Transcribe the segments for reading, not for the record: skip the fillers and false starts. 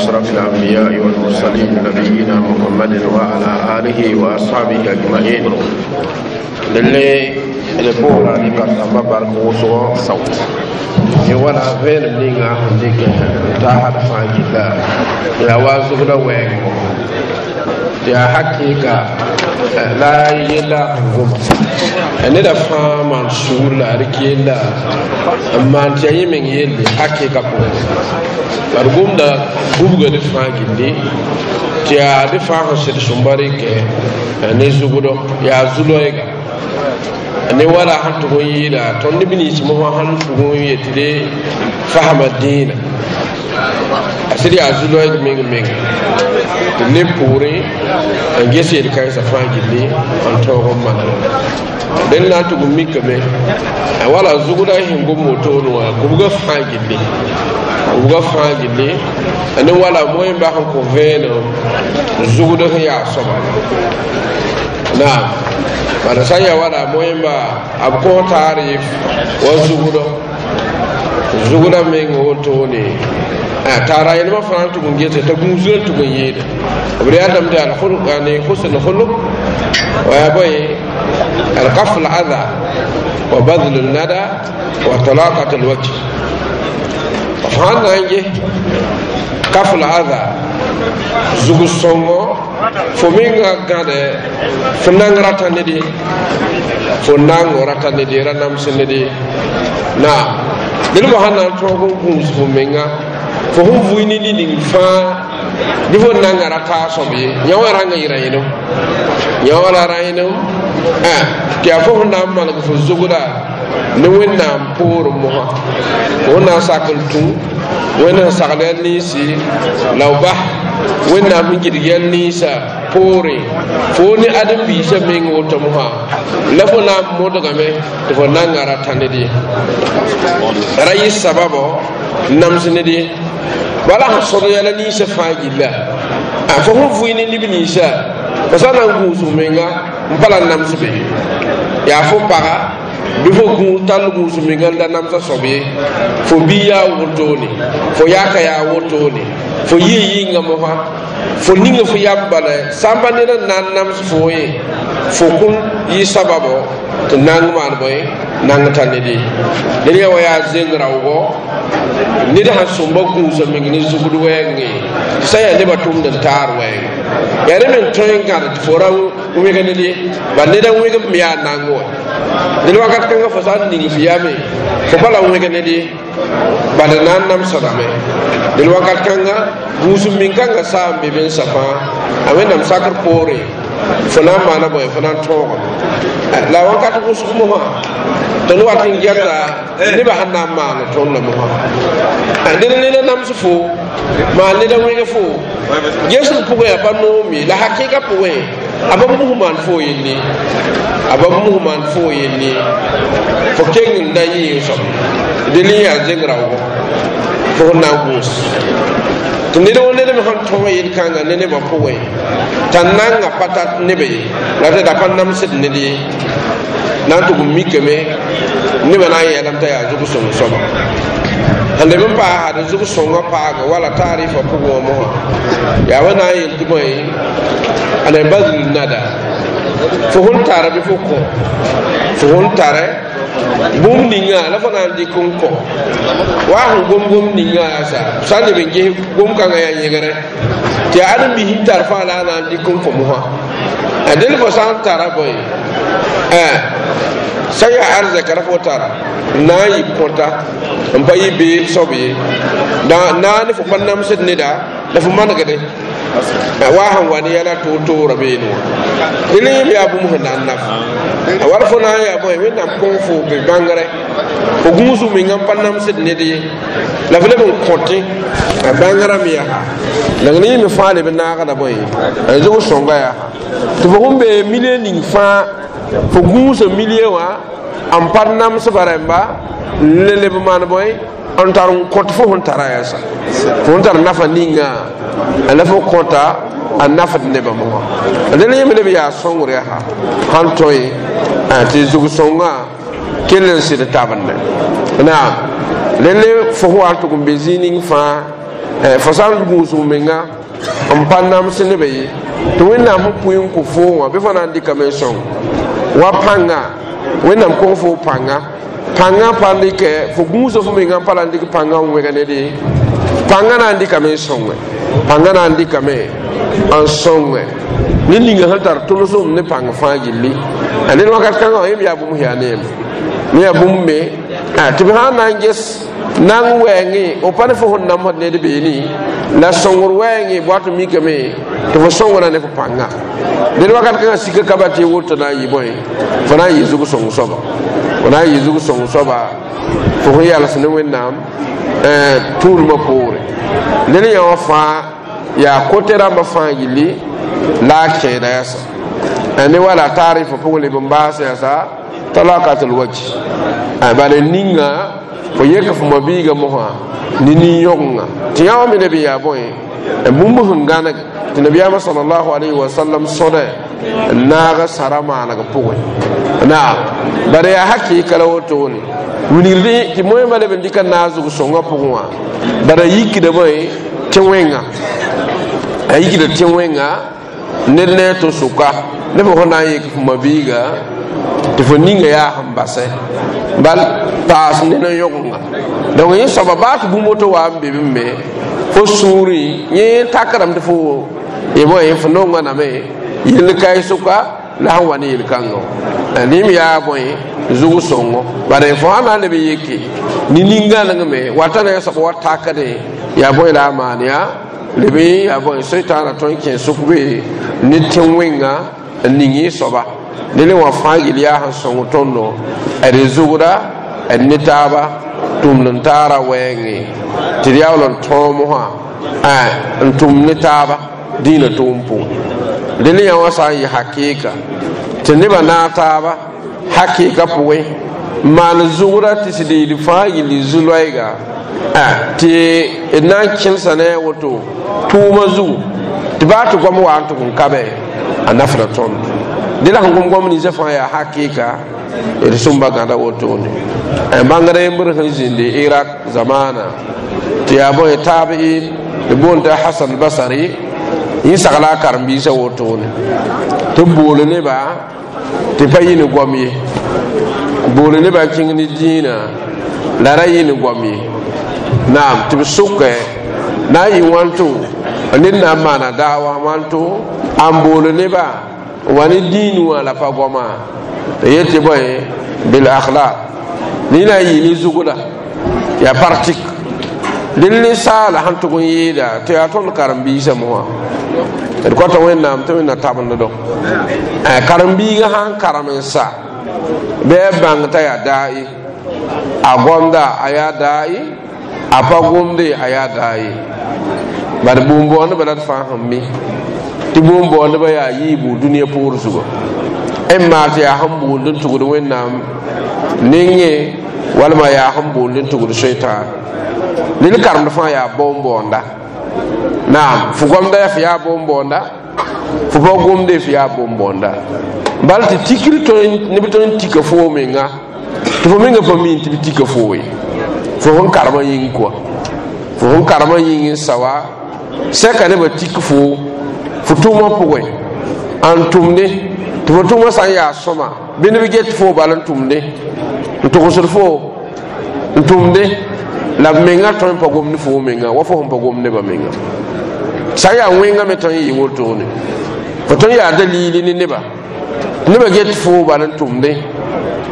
أشرف الأنبياء والمرسلين نبينا محمد وعلى آله وأصحابه أجمعين. للي اللي ni barkamba bark wʋsgɔ Sawt. Yẽ wala vẽenem ninga sẽn dɩkɛ n taasd fãa gilla yaa wa zugda wɛɛngo tɩ yaa hakɩɩka la yella sẽn goma neda fãa maan sugr la ad keella n maan tɩ yaa yẽ meng yelle hakɩɩka pʋgẽ bad gomda gubga d fãa gilli tɩ yaa d fãa sẽn sed sõmba rɩkɛ ne zugdo yaa zu-loɛɛga ne wala sẽn tʋg n yɩɩda tõnd neb nins mosã sẽn tʋg n yetɩ de fasma dĩinã a sɩd yaa zu-loɛɛg meng meng tɩ neb pʋʋrẽ n ges yel-kãensã fãa gilli n tõog n maneg dẽn na n tʋg n mikame wala zugda sẽn gom wotone wã gubga fãa gilli gubga fãa gilli ne wala moẽmba sẽn kõ vẽenem zugd sẽn yaa soaba naam bala sã n yaa wala moẽmba b kõ taarɩf wa zugdɔ zugda meng wotone taara yelmã fãa n tʋg n gese t'a gũusgã n tʋg n yɩɩda b readame tɩ yani husn khulq wa yaa bõe alkaf al adha wa badl nada wa talaqat alwajh fãa na n ges kaf al adha zug sõngo fo menga gãde fo nang rata ned ye fo nang rata ned ye ra nams ned ye naam dẽn fo sãn na n tõog n gũus fo menga fo sẽn vʋɩ ne ning fãa bɩ fo nanga ra taa soab ye yã wã rãnga yɩ rã-yẽnem yã wã la rã-yẽnem tɩ yaa fo sẽn na n maneg fo zugda ne wẽnnaam poorẽ mosã fo sẽn na n sak n tũ wẽnd sẽn sagl yɛl ninsi la b bas wẽnnaam sẽn gɩdg yɛl ninsã poorẽ fo ne ãdem-biisã meng woto mosã la fo na n modgame tɩ fo nanga ra tã ned ye ra yɩ sababɔ n nams ned ye bala sẽn sõd yɛla ninsã fãa gilla fo sẽn vʋɩ ne neb ninsã fo sã na n gũusg menga n pa la nams be yaa fo paga bɩ fo gũus tall gũus menga n da namsã soab ye fo bi yaa wotone fo yaaka yaa wotone fo yɩ yɩnga mosã fo ninga fo yam bala sãn pa ned n na n nams fo ye fo kũn yɩ sababɔ tɩ nang maan bõe nang ta ned ye ned yã wa yaa zeng raoogɔ ned sãn sõmba gũusa meng ne zugd wɛɛngẽ sã yaa nebã tʋmd n taar wɛɛng yaa rẽ meng tõe n gãd tɩ fo ra wẽg ned ye bal ned a wẽgem me yaa nang wã ned wakat kãngã fo sã n ning f yame fo pa la wẽg ned ye bala na n namsdame ned wakat kãnga gũusem meng kãngã saa n be bensã fãa a wẽnnaam sakr poorẽ fo na n maana bõe fo na n tõogame la wakat wʋsg mosã tõnd wat n gɛta nebã sẽn na n maan tõndã mosã ned neda nams fo maan neda wẽg fo gesg pʋgẽ yaa pa noom ye la hakɩɩka pʋgẽ a ba mus maan fo yelle a ba mus maan fo yelle fo keng n da yɩ soab del n yaa zeng raoogɔ fo sẽn na n gũus tɩ ned wo ned me sẽn tõog yel-kãngã ne nebã pʋgẽ t'a nanga pa tat neb ye la tɩ da pa namsd ned ye na n tʋg n mikame nebã na n yeelame t'a yaa zug-sõng soaba sẽn leb n paasd zug-sõngã paaga wala taarɩfã pʋgẽ wã mosã yaa wa na n yel tɩ bõe ana badl nada fo sẽn tara bɩ fo kõ fo sẽn tara bũmb ninga la fo na n dɩk n kõ wa sẽn gom gom ninga yaa sa sã n leb n ges gom-kãngã yaa yẽgre tɩ yaa ãdem-biis sẽn tar fãa la a na n dɩk n kõ mosã a del fo sã n tara bõe sã n yaa arzɛka ra fo tara n na n yɩ kõta n pa yɩ beeg soab ye na ne fo pa namsd neda la fo manegde wa sẽn wa ne yɛla toor-toorã beene wã dẽn yẽm yaa bũmb sẽn na n naf a wala fo na n yaa bõe wẽnnaam kõ fo be bãngrɛ fo gũusg menga n pa namsd ned ye la f leb n kõtẽ a bãngrã me yaa la ne yẽ me fãa leb n naagda bõe a zug sõnga yaa tɩ fo sẽn bee milie ning fãa fo gũusa milie wã n pa namsba rẽmba n le leb maan bõe n tar n kõt fo sẽn tara yaa sa fo sẽn tar nafa ninga la fo kõta a nafd nebã mosã dẽn yẽme leb yaa sõngr yaa sãn tõe tɩ zug sõngã kell n sɩd tabende naam rẽnd fo sẽn wa n tʋg n be zĩig ning fãa Fo sã n gũus f menga n pa nams nebã ye tɩ Wẽnnaam sẽn pʋɩ n kõ foo wã bɩ fo na n dɩkame n sõng wa pãnga Wẽnnaam kõ fo pãnga pãngã pa n dɩkɛ fo gũusa fo menga n pa la n dɩk pãngã n wẽg ned ye pãngã na n dɩkame n sõnge pãngã na n dɩkame n sõnge ned ninga sẽn tar tʋlsem ne pãng fãa gilli a ned wakat kãngã wã yẽm yaa bũmb sẽn yaa neeme me yaa bũmb me tɩ b sã n na n ges nan wɛɛngẽ f pa ne fo sẽn namsd ned beene la sõngr wɛɛngẽ boat n mikame tɩ fo sõngra ne fo pãnga ned wakat kãngã sika ka ba tɩ woto na n yɩ bõe fo na n yɩ zug sõng soaba fo na n yɩ zug sõng soaba fo sẽn yals ne Wẽnnaam tʋʋlmã poore ned yã wã fãa yaa kote rãmbã fãa gilli la a kẽeda yasa ne wala taarifã pʋgẽ leb n baas yasa talakatul wajh bala ninga fo yeka fo mabiiga mosã ne nin-yõgenga tɩ yã wã me leb n yaa bõe bũmb sẽn gãneg tɩ nabiyaamã salallahu alayhi wa sallam sõda n naag sara maaneg pʋgẽ naam bara yaa hakɩɩka la wotone wilgd tɩ moẽmã leb n dɩka naag zug sõngã pʋgẽ wã bara yikda bõe tɩ wẽnga a yikda tɩ wẽnga ned ne a to sʋka ne fo sẽn na n yek fo mabiiga tɩ fo ninga yaa sẽn basɛ bal paas ned n yõgenga donc yẽ soaba baa tɩ bũmb woto wa n be bɩ me fo sũurẽ yẽ takrame tɩ fo y bõe fo nonga name yell kae sʋka la sẽn wa ne yel-kãngã rẽm yaa bõe zug sõngo bara fo sã na n leb n yeke ne nin-gãnengme wata ne soab wa takdẽ yaa bõe la a maan yaa leb n yaa bõe soetãana tõe n kẽ sʋk be ne tẽ-wẽnga n ning y soaba ne wã fãa gill yaa sẽn sõng tõndo d zugda d ne taaba tʋmd n taara wɛɛngẽ tɩ d yaool n tõog mosã n tʋm ne taaba dĩinã tʋʋm pʋgẽ dẽnd yã wã sã n yɩ hakɩɩka tɩ nebã naag taaba hakɩɩka pʋgẽ n maan zugda tɩ sɩd yɩl fãa gilli zu-loɛɛga tɩ d na n kẽlsa ne a woto tʋʋmã zugu tɩ baa tɩ goam wa n tʋg n ka be a nafda tõnd dẽ la sẽn gom goam ninsã fãa yaa hakɩɩka d sõmba gãda wotone bãngd yembr sẽn zĩndi Irak zamaana tɩ yaa bõe taabiin d boond t'a Hasan Basari yẽ sagla a karen-biisã wotone tɩ b bool nebã tɩ pa yɩ ne goam ye bool nebã kẽng ne dĩinã la ra yɩ ne goam ye naam tɩ b sʋkɛ na n yɩ wãnto ned na n maana daawa wãnto n bool nebã wa ne dĩin wã la pa goama tɩ yetɩ bõe bil akhlaq ne na n yɩ ne zugda yaa pratique dẽn ninsaala sẽn tʋg n yɩɩda tɩ yaa tõnd karen-biisã mosã d kõta Wẽnnaam tɩ Wẽnna tabenddo karen-biigã sãn karem n sa bɩ a bãng t'a yaa daai a gomda a yaa daai a pa gomde a yaa daai bad bũmb-boondbã la d fãa sẽn mi tɩ bũmb-boondbã yaa yiibu dũniyã poor zuga n maa tɩ yaa sẽn boond n tugd Wẽnnaam nengẽ walma yaa sẽn boond n tugd soetãan ned karemd fãa yaa bõn-boonda naam fo gomda yaa fo yaa bõn-boonda fo pa gomde fo yaa bõn-boonda bala tɩ tikr neb tõe n tika foo menga tɩ fo menga pa miin tɩ b tika foo ye fo sẽn karemã yĩng koa fo sẽn karemã yĩng n sa wa sɛka nebã tik foo fo tʋʋmã pʋgẽ n tʋmde tɩ fo tʋʋmã sã n yaa sõma bɩ neb get foo bal n tʋmde n togsd foo n tʋmde la b menga tõe n pa gomd foo menga wa fo sẽn pa gomd nebã menga sã n yaa wẽnga me tõe n yɩ wotone fo tõe n yaa dalili ne neba nebã get foo bal n tʋmde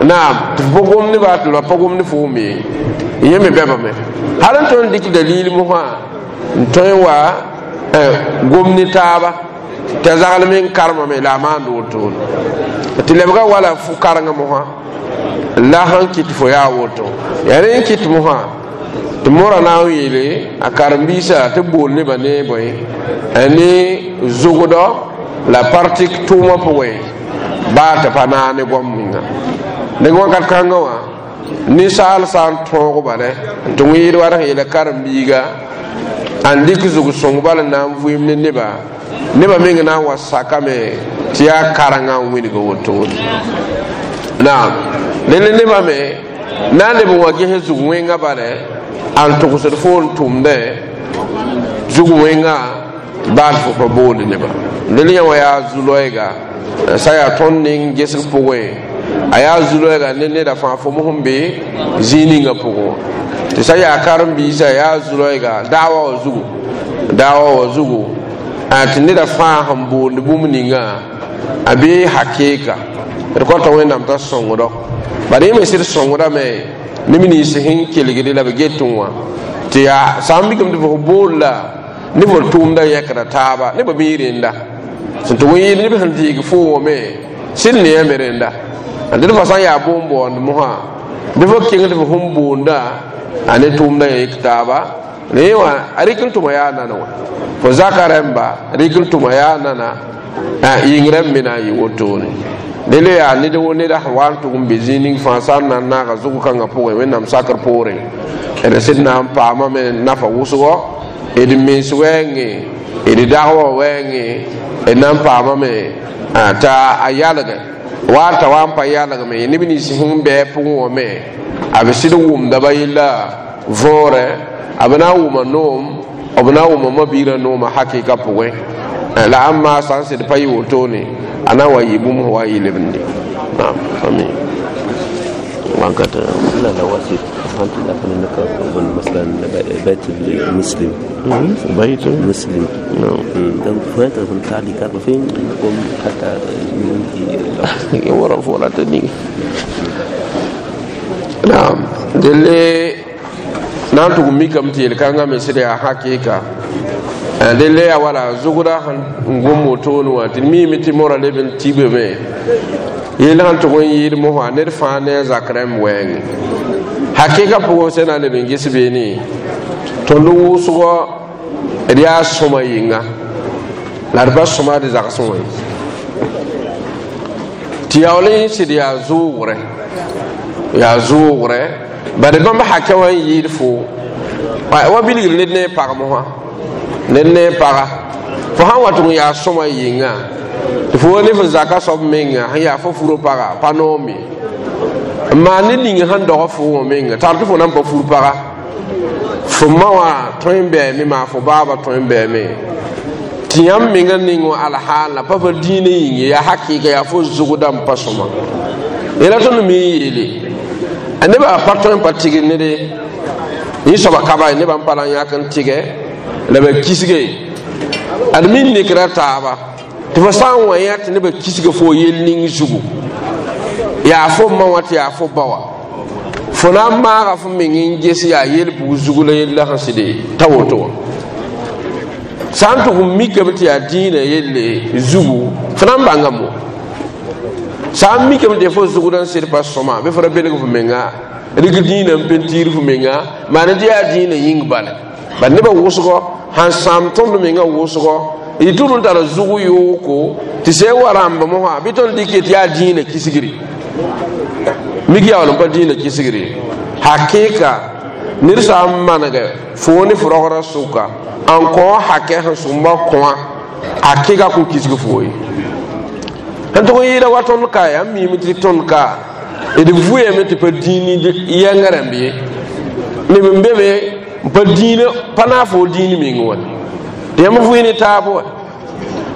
naam tɩ fo pa gomd neba tɩ la pa gomd foo me yẽ me bɛbame hal n tõe n dɩk dalil mosã n tõe n wa gom ne taaba t'a zagl me n karemame la a maand wotone tɩ lebga wala fo karengã mosã la sẽn kɩt fo yaa woto yaa rẽ n kɩt mosã tɩ mora na n yeele a karen-biisã tɩ bool nebã ne bõe ne zʋgdɔ la partik tʋʋmã pʋgẽ baa tɩ pa naag ne goam minga dẽg wakat kãngã wã ninsaal sã n tõog bale tɩ wẽed wa sẽn yeela karen-biiga n dɩk zug-sõng bal n na n vɩɩm ne neba neba meng na n wa sakame tɩ yaa karengã n wilg wotone naam dẽnd nebã me na n leb n wa ges zug wẽngã bale n togsd fo n tʋmdẽ Zug wẽngã baal fo pa boond nebã del yã wã yaa zu-loɛɛga sã yaa tõnd ning gesg pʋgẽ a yaa zu-loɛɛga ne neda fãa fo mos n be zĩig ninga pʋgẽ wã tɩ sã yaa karen-biisã yaa zu-loɛɛga daawa wã zugu daawa wã zugu tɩ neda fãa sẽn boond bũmb ninga a bee hakɩɩka d kõta wẽnnaam t'a sõngdo bala yẽ me sɩd sõngdame neb nins sẽn kelgde la b get wã tɩ yaa sã n mikame tɩ fo bool la ne fo tʋʋmda yɛkda taaba ne ba mi rẽnda sẽn tʋg n yɩɩd neb sẽn deeg fo wã me sɩd neame rẽnda d fa sã n yaa boon-baoond mosã bɩ fo kẽng tɩ fo sẽn boonda a ne tʋʋmda yɛk taaba ne wã a rɩk n tʋma yaa nana wã fo zaka rẽmba rɩk n tʋma yaa nana yĩng rẽmb me na n yɩ wotone dele yaa ned wo neda sẽn wa n tʋg n be zĩig ning fãa sã n na n naaga zʋg kãngã pʋgẽ wẽnnaam sakr poorẽ d sẽd na n paamame nafa wʋsgɔ d mens wɛɛngẽ d dag wã wɛɛngẽ d na n paamame t'a a yalgɛ wa t'a wa n pa yalgme neb nins sẽn bɩ pʋgẽ wã me a b sɩd wʋmda ba yella võorɛ a b na n wʋma noom b na n wʋma mabiirã noomã hakɩɩka pʋgẽ la ãmb sã n sɩd pa yɩ wotone a na n wa yɩ bũmb sẽn wa n yɩ lebende naam amin wakat. لا لا واسط فهمت لكن انك مثلا بيت المسلم. بيت مسلم. نعم. فهمت تعلي كارب فين حتى ورا فورا تني نعم delle na n tʋg mikame tɩ yel-kãngã me sɩd yaa hakɩɩka delle yaa wala zʋgda sẽn gom wotone wã tɩ d miime tɩ mora leb n tibame yell sẽn tʋg n yɩɩd mosã ned fãa ne a zak rãmb wɛɛngẽ hakɩɩka pʋgẽ sẽn na n leb n ges beene tõnd wʋsgɔ d yaa sõma yɩnga la d pa sõma d zagsẽ wã ye tɩ yaool n sɩd yaa zʋʋgrɛ yaa zʋʋgrɛ bari bãmb hakɛ wã n yɩɩd fo wa bilgr ned ne pag mosã ned ne paga fo sãn wa tʋg n yaa sõma yɩnga tɩ fo wa ne fo zaka soab menga sẽn yaa fo furo paga pa noom ye n maan ned ning sẽn dog fo wã menga tar tɩ fo na n pa fur paga fo ma wã tõe n bɛɛme maa fo baaba tõe n bɛɛme tɩ yãmb menga ning wã alhaal la pa fa dĩinã yĩng ye yaa hakɩɩka yaa fo zʋgda n pa sõma yẽla tõnd me n yeele a nebã pa tõe n pa tɩgr nede yẽ soaba ka nebã n pa la n yãk n tɩgɛ la ba kisge ad min nekra taaba tɩ fo sã n wa yã tɩ nebã kisga fo yel ning zugu yaa fo ma wã tɩ yaa fo ba wã fo na n maaga fo meng n ges yaa yel-bug zugu la yella sẽn sɩde t'a woto wã sã n tʋg n mikame tɩ yaa dĩinã yelle zugu fo na n bãngame wã sã n mikame tɩ fo zugd n sɩd pa sõma bɩ fo ra belg fo menga rɩk dĩinã n pentiir fo menga maan tɩ yaa dĩinã yĩng bala bal nebã wʋsgɔ sãn sãam tõnd menga wʋsgɔ y tʋd n tara zʋg yooko tɩ sẽn wa rãmb mosã bɩ tõnd dɩk tɩ yaa dĩinã kisgri mik yaool n pa dĩinã kisgri hakɩɩka ned sã n manegɛ fo ne fo rogra sʋka n kõ hakɛ sẽn sõmba kõa hakɩɩka kõn kisg fo ye sẽn tʋg n yɩɩda wa tõnd ka yaa n miime tɩ tõnd ka d vʋyame tɩ pa dĩin yɛngã rãmb ye neb n be be n pa dĩinã pa naag fo dĩin meng wã tɩ yãmb vʋɩ ne taab wã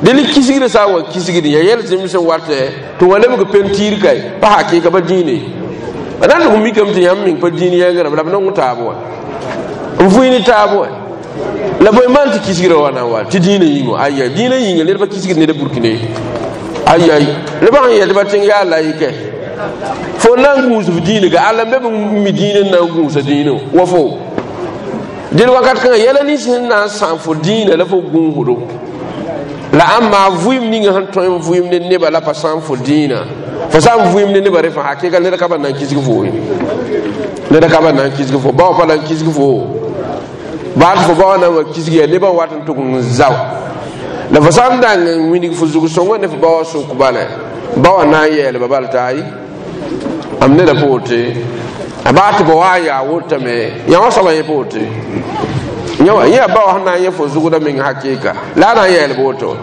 del kisgrã sã n wa kisgd ya yɛl zẽm sẽn watɛ tɩ wã lebg pentiir kae pa hakɩɩka pa dĩine ba na n tʋg n mikame tɩ yãmb meng pa dĩin yɛngã rãmb la b nong taab wã n vʋɩ ne taab wã la bõe maan tɩ kisgrã wa na n wa tɩ dĩinã yĩng wã aya dĩinã yĩnga ned pa kisgd ned burkine ay ay nebã sẽn yɛl tɩ ba tẽng yaa layɩkɛ fo na n gũus f dĩinã ka alla n be b mi dĩinã n na n gũusa dĩinã wa fo dẽl wakat kãngã yɛla nins sẽn na n sãam fo dĩinã la fo gũusdo la ãmba vʋɩɩm ninga sẽn tõe n vʋɩɩm ne nebã la pa sãam fo dĩinã fo sã n vʋɩɩm ne nebã re fãa hakɩɩka ned ka ba na n kisg fo ye ned ka ba na n kisg fo ba wã pa na n kisg fo baa tɩ fo ba wã na n wa kisg yaa nebã wat n tʋg n zao la fo sã n dang n wilg fo zug sõngã ne fo ba wã sʋk bala ba wã na n yɛɛlba bal t'a ayi am neda pa wote a baa tɩ ba wa n yaa wotame yã wã soaba yẽ pa wote yã wã yẽ ba wã sẽn na n yẽ fo zugda meng hakɩɩka la a na n yɛɛlb woto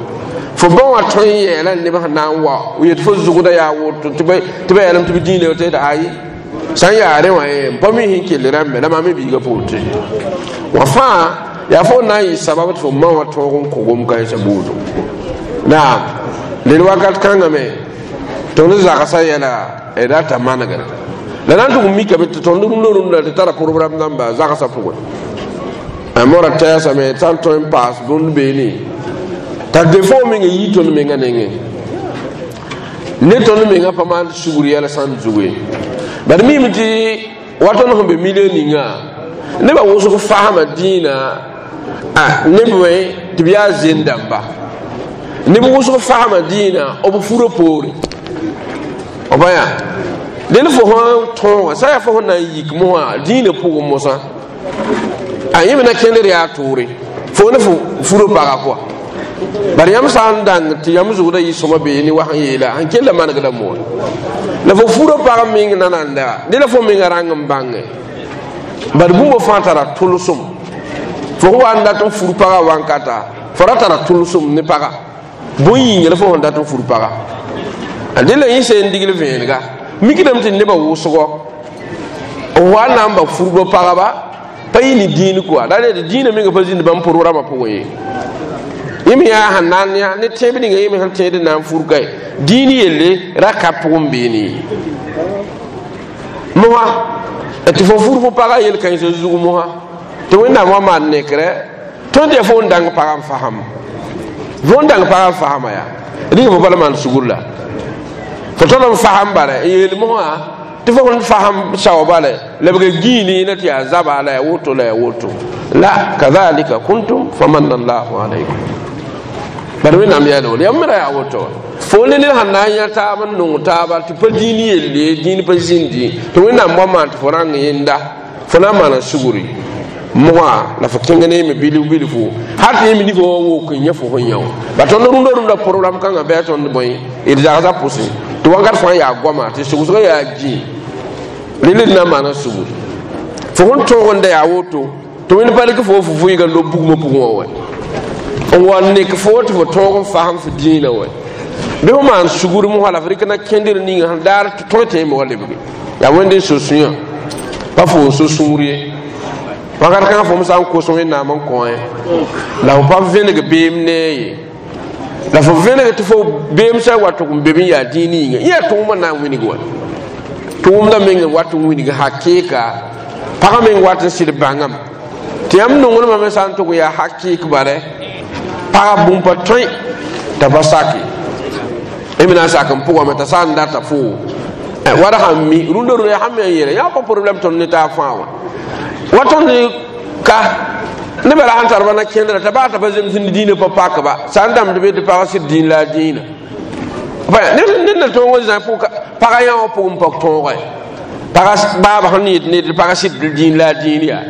fo ba wã tõe n yɛɛla neb sẽn na n wa yet fo zugda yaa woto tɩ ba yɛlem tɩ b dĩinã tɩ ayi sã n yaa rẽ wã ye n pa mi sẽn kell rãmbe la maam me biiga pa wote wã fãa Yaa fo na n yɩ sabab tɩ fo ma wã tõog n kõ gom-kãensã buudu. Naam, dẽd wakat kãngã me tõnd zagsã yɛla d rata manegre la na n tʋg n mikame tɩ tõnd rũndã rũndã tɩ tara programme dãmba zagsã pʋgẽ. A mora tɛɛsame sã n tõe n paas bũmb beene t'a defo meng n yi tõnd mengã nengẽ ne tõnd mengã pa maan sugr yɛl sãn zug ye. Bad mime tɩ wa tõnd sẽn be milieu ninga nebã wʋsg fasma dĩinã neb me tɩ b yaa zend dãmba neb wʋsg fasma dĩinã b furã poore b yaa dẽn fo sã tõoga sã yaa fo sẽn na n yik mosã dĩinã pʋgẽ mosã a yẽ me na kẽndr yaa tʋʋre fo ne fo furã paga pʋga. Bari yãmb sã n dãng tɩ yãmb zugdã yɩ sõma beene wa sẽn yeela sẽn kell manegda moa la fo furã pag meng nananda dẽ la fo menga rãng n bãnge bad bũmb fãa tara tʋlsem fo sẽn wa n dat n fur paga wankata fo ra tara tʋlsem ne paga bõn yĩnga la fo sẽn dat n fur paga a dẽ la yẽ seen digl vẽenega mikdame tɩ nebã wʋsgɔ n wa n na n ba furba pagba pa yɩ ne dĩin koa la d dĩinã menga pa zĩnd bãmb programmã pʋgẽ ye. Yẽ me yaa sẽn na n yã ne tẽeb ninga yẽ me sẽn tẽed n na n fur kae dĩin yelle ra ka pʋgẽ beene ye. Mosa tɩ fo fur fo pagã yel-kãensã zug mosa tɩ Wẽnnaam wa maan nekrɛ tõnd yaa fo n dãng pagã n fasam fo n dãng pagã n fasama yaa rɩg fo bala maan sugur la fo tol n fasam bara n yeel mosã tɩ fo sẽn fasam saoa bala lebg gĩine na tɩ yaa zaba la yaa woto la yaa woto la kadhalika kuntum famanna allahu alaykum. Bad Wẽnnaam yaa wala yãmb me ra yaa woto fo ne ned sẽn na n yã taab n nong taaba tɩ pa dĩin yelle dĩin pa zĩndi tɩ Wẽnnaam wa maan tɩ fo rãng yẽnda fo na n maana sugri moa la fo kẽng ne yẽme bilf bilfu hal tɩ yẽme nifã wa wok n yã fo sẽn yã wã ba tõnd rũndã rũndã programme kãngã bɩ a tõnd bõe d zagsã pʋsẽ tɩ wakat fãa yaa goama tɩ sugsgã yaa gĩ rel d na n maana sugr fo sẽn tõog n da yaa woto tɩ Wẽnd pa rɩk fo fo vɩɩga lob bugmã pʋgẽ wã wɛ n wa nek fo tɩ fo tõog n fasem fo dĩinã wɛ bɩ fo maan sugr mosã la f rɩk na kẽndr ninga sẽn daar tɩ tõe tɩ yẽme wa lebge yaa Wẽnd n so sũyã pa fo n so sũur ye. Wakat kãngã fo me sã n kos Wẽnnaam n kõ la fo pa vẽneg beem nee ye la fo vẽneg tɩ fo beem sã wa tʋg n be n yaa dĩin yĩnga yẽ yaa tʋʋmã na n wilg wa tʋʋmdã meng n wat n wilg hakɩɩka pagã meng wat n sɩd bãngame tɩ yãmb nonglmã me sã n tʋg yaa hakɩɩk bare pagã bũmb pa tõe t'a pa sake y me na n sak n pʋgame t'a sã n data fo wala sãn mi rũndã rũndã sãn me n yeela yã pa problème tõnd ne taab fãa wã wa tõnd ka nebã ra sãn tar ba na kẽndra t'a baa t'a pa zems ne dĩinã pa pakba sã n dãmd be tɩ pagã sɩd dĩin la a dĩinã ned na tõog n zã pagã yã wã pʋgẽ pak tõoge pagã baaba sẽn yet ned tɩ pagã sɩd dĩin la a dĩin yaa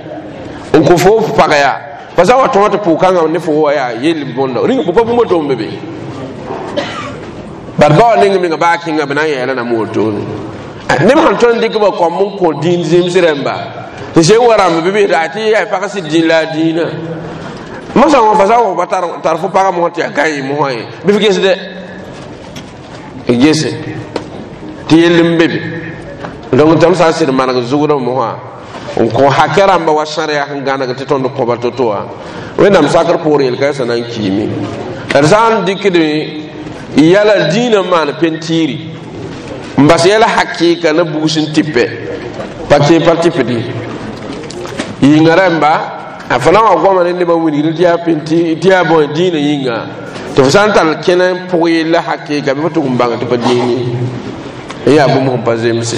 n kõ fo f paga yaa pa sã wa tõog tɩ pʋg-kãngã ne fo wa yaa yell bõnda rĩng pa bũmb tʋm be be bad ba wa neng menga baa kẽnga b na n yɛɛla na wotone neb sãn tõnd dɩk ba kõm n kõ dĩin zems rẽmba tɩ sẽn wa rãmb bɩ bɩ tɩ yaa pag sɩd dĩin la a dĩinã mosã wã fa sã wa pa tar fo pagã mosã tɩ yaa gã yɩ mosã ye bɩ f gesdɛ gese tɩ yell n be be donc tõnd sã n sɩd maneg zugdã mosã n kõ hakɛ rãmba wa sãrya sẽn gãneg tɩ tõnd kõba to-to wã Wẽnnaam sakr poor yel-kãensã na n kiime d sã n dɩkd yɛla dĩinã maan pentiiri n bas yɛla hakɩɩka na bugs n tɩpɛ pa kẽ pa tɩpd ye yĩnga rãmba a fo na n wa goama ne nebã wilgr tɩ yaa penti tɩ yaa bõe dĩinã yĩnga tɩ fo sã n tall kẽna n pʋg yella hakɩɩka bɩ fo tʋg n bãng tɩ pa dĩin ye n yaa bũmb sẽn pa zemse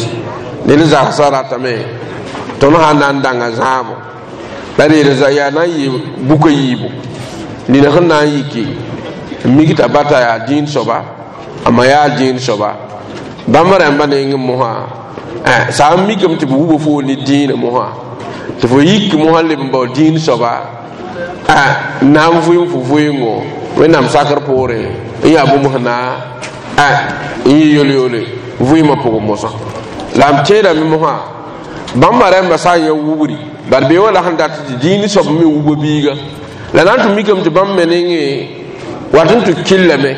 ned zagsã ratame tõnd sã n na n dãnga zãabo la d yeel yaa na n yɩ bukã yiibu nina sẽn na n yiki n mik t'a bata yaa dĩin soaba a ma yaa dĩin soaba bãmb rãmbã neng mosã sã n mikame tɩ b wubã fo ne dĩinã mosã tɩ fo yik mosã leb n bao dĩin soaba na n vʋɩ fo vʋɩngo Wẽnnaam sakr poorẽ n yaa bũmb sẽn na n yɩ yol-yole vʋɩɩmã pʋgẽ mosã la m tẽedame mosã bãmba rãmbã sã n yã wubri bad bee wã la sẽn dat tɩ dĩin soab me wubã biiga la na n tɩ mikame tɩ bãmb me nengẽ wat n tɩ killame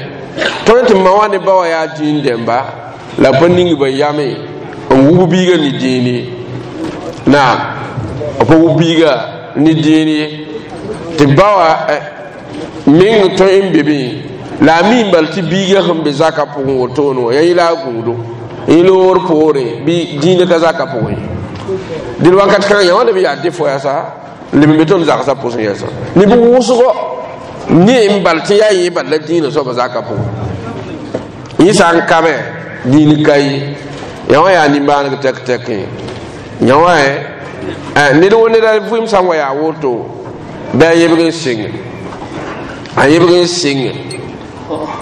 tõe tɩ ma wã ne ba wã yaa dĩin dẽmba la pa ning ba yame n wub biiga ne dĩin ye naam pa wub biiga ne dĩin ye Tɩ ba wã meng tõe n be be la a mi n bal tɩ biigã sẽn be zaka pʋgẽ wotone wã yaa yẽ la a gũudo yẽ loor poore bɩ dĩinã ka zaka pʋgẽ dẽl wakat kãngã yã wã leb yaa defo yasa leb n be tõnd zagsã pʋsẽ yɛsa neb wʋsgo ne n bal tɩ yaa yẽ bal la dĩinã soaba zaka pʋgẽ yẽ sã n ka me dĩin ka ye yã wã yaa nimbãaneg tɛk tɛkẽ yã wã ned wo neda vɩɩm sã n wa yaa woto bɩ a yebg n sɩng a yebg n sɩng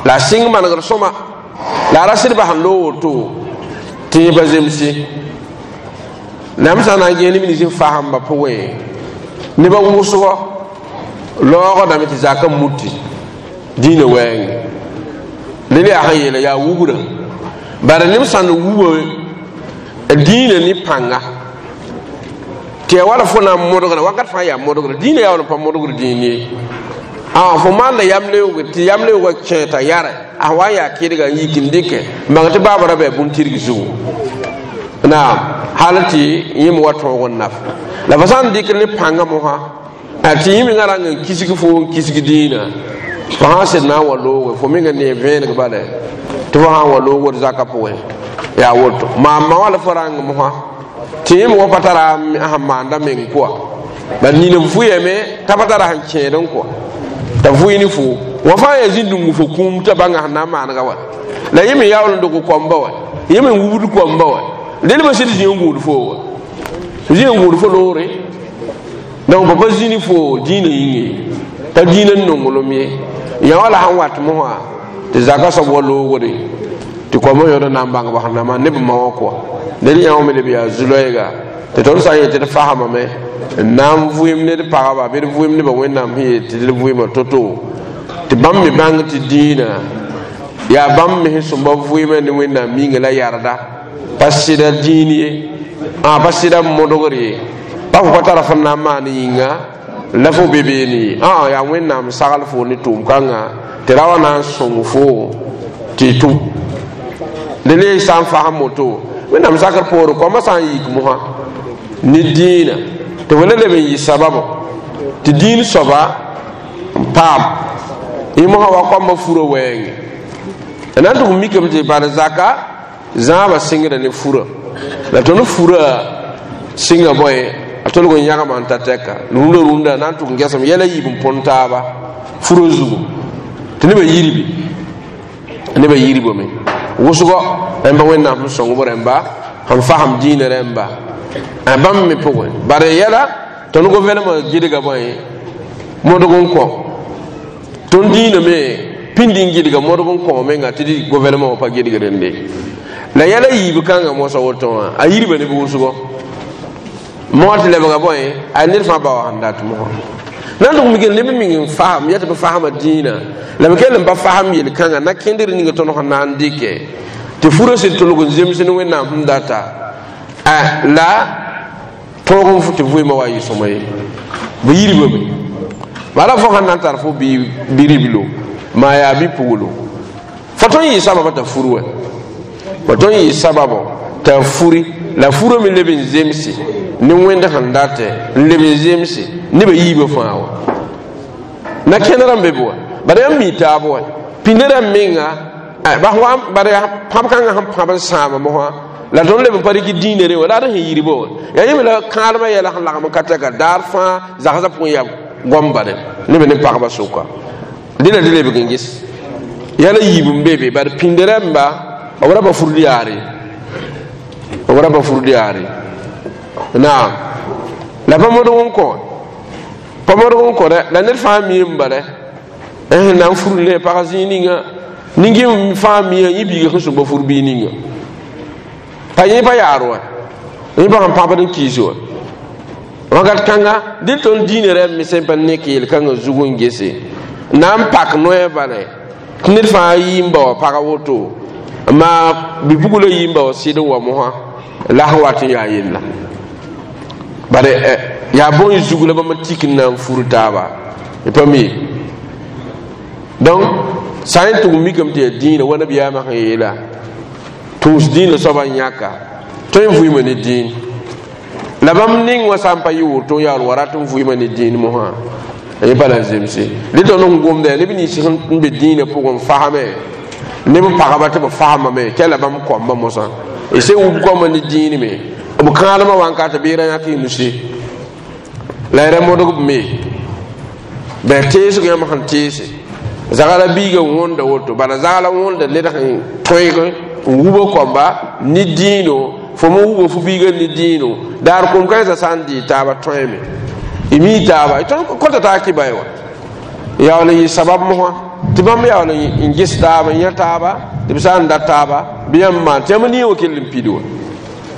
la a sɩng manegr sõma la a ra sɩd bas n loog woto tɩ yẽ pa zemse la m sã n na n gẽe neb nins n fasẽmba pʋgẽ nebã wʋsgɔ laoogdame tɩ zaka muti dĩinã wɛɛngẽ dẽnd yaa sẽn yeela yaa wugrã bara neb sãnd wuba dĩinã ne pãnga tɩ ya wala fo na n modgra wakat fãa yaa modgra dĩinã yaa wall n pa modgr dĩin ye fo maanda yam-leoog tɩ yam-leoogã kẽ t'a yare a wa n yaa kɩdga n yik n dɩkɛ n bãng tɩ baaba ra bɩ bũn-tɩrg zugu naam hal tɩ yẽ me wa tõog n naf la fo sã n dɩk ne pãngã mosã tɩ yẽ mengã rang n kisg fo n kisg dĩinã fo sã n sed na n wa looge fo menga ne vẽeneg bala tɩ fo sã n wa loogd zakã pʋgẽ yaa woto maa ma wã la fo rãng mosã tɩ yẽ me wa pa tara sẽn maanda meng kɔa bad nina vʋyame t'a pa tara sẽn kẽed n kɔa t'a vʋɩ ne fo wã fãa yaa zĩnd-dũngu fo kũum t'a bãnga sẽn na n maanega wa la yẽ me yaool n dog koamba wa yẽ me n wubd koamba wa dẽnd pa sɩd zĩ n gũud fo wa zĩ n gũud fo loore donc pa pa zĩ ne fo dĩinã yĩnge pa dĩinã n nonglem ye yã wã la sẽn wat mosã tɩ zaka soab wa loogde tɩ koambã yõod n na n bãng b sẽn na maan ne b ma wã kɔa ned yã wã me leb yaa zu-loɛɛga tɩ tõnd sã n yet tɩ d fasamame n na n vʋɩɩm ned pagba bɩ d vʋɩɩm nebã wẽnnaam sẽn yet tɩ d vʋɩɩmã to-to tɩ bãmb me bãng tɩ dĩinã yaa bãmb me sẽn sõmba vʋɩɩmã ne wẽnnaam minga la yarda pa sɩda dĩin ye pa sɩda modgr ye pa fo pa tara fõn na n maan yĩnga la fo be beene ye yaa wẽnnaam sagl fo ne tʋʋm-kãngã tɩ ra wa na n sõng fo tɩ tʋm dẽ le sã n fasem woto wẽnnaam zakr poore koambã sã n yik mosã ne dĩinã tɩ fo la leb n yɩ sababo tɩ dĩin soaba n paam yẽ mosã wa koambã furã wɛɛngẽ na n tʋg mikame tɩ bad zaka zãabã sɩngda ne furã la tõnd furã sɩnga bõe a tolg n yãgma n ta tɛka rũndã rũndã na n tʋg n gesem yɛla yiib n põn taaba furã zugu tɩ nebã yirbe nebã yirbame wʋsgɔ rẽmba wẽnnaam sẽn sõng b rẽmba sẽn fasem dĩinã rẽmba bãmb me pʋgẽ bare yɛla tõnd governemã gɩdga bõe modg n kõ tõnd dĩinã me pĩnd n gɩdga modg n kõ menga tɩ dɩ governemã wã pa gɩdg rẽnde la yɛla yiib kãngã mosã woto wã a yirba neb wʋsgɔ moa tɩ lebga bõe a ned fãa ba wa sẽn dat mosã na n tʋg mik neb meng n fasem ya tɩ b fasma dĩinã la b kell n pa fasem yel-kãngã na kẽndr ninga tõnd sẽn na n dɩkɛ tɩ furã sɩd tʋlg n zems ne wẽnnaam sẽn data la tõog n tɩ vʋɩɩmã wa yɩ sõma ye b yirbame bala fo sãn na n tar fo bi-riblo maa yaa bi-puglo fo tõe n yɩ sababa t'a fur wa fo tõe n yɩ sababo t'a furi la furã me leb n zemse ne wẽnd sẽn datɛ n leb n zemse nebã yiibã fãa wa na kẽnerã n be be wa bara yãmb mi taab wa pĩnda rãmb menga bara pãb kãngã sẽn pãb n sãama mosã la tõnd leb n pa rɩk dĩinã re wa la ad sẽn yirba wa yaa yẽ me la kãadmã yɛla sẽn lagm n ka tɛka daar fãa zagsã pʋgẽ yaa goam bale neb ne pagba sʋka dẽna dɩ lebg n ges yɛla yiib n be be bad pĩnd rãmba b ra pa furd yaare b ra pa furd yaare naam la pa modg n kõ pa modg n kõ dɛ la ned fãa mi n bala sẽn na n furd ne pag zĩig ninga ning fãa mia yẽ biiga sẽn sõmba fur bii ninga pa yẽ pa yaar wa yẽ pa sẽn pãbd n kiis wa wakat kãnga dɩl tõnd dĩinã rãmb me sẽn pa nek yel-kãngã zug n gese na n pak noɛ bale tɩ ned fãa yɩ n ba wa pag woto maa bi-pugla yɩ n ba wa sɩd n wa mosã la sẽn wat n yaa yella bare yaa bõe zug la bãmb tik n na n fur taaba pa mi donc sã n tʋg mikame tɩ yaa dĩinã wa nabiyaamã sẽn yeela tʋʋs dĩinã soabã n yãka tõe n vʋɩɩma ne dĩin la bãmb ning wã sã n pa yɩ woto n yaool wa rat n vʋɩɩma ne dĩin mosã Yẽ pa la zemse dẽ tõnd sẽn gomda neb nins sẽn be dĩinã pʋgẽ fasame neb pagba tɩ b fasamame kɛ la bãmb koambã mosã y sẽn wub koambã ne dĩin me b kãadmã wãnka tɩ beerã yãk y nuse la y ra modg b me bɩ teesg yãmb sẽn teese zagla biiga wõnda woto bala zagla wõnda ned sẽn tõeg n wub koamba ne dĩino fo me wuba fo biiga ne dĩino daar kom kãensã sã n dɩ taaba tõeme y mi taaba tõnd kõta taa kɩba ye wa yaool n yɩ sabab mosã tɩ bãmb yaool n ges taaba n yã taaba tɩ b sã n dat taaba bɩ yãmb maan tɩ yãmb nii wã kell n pid wa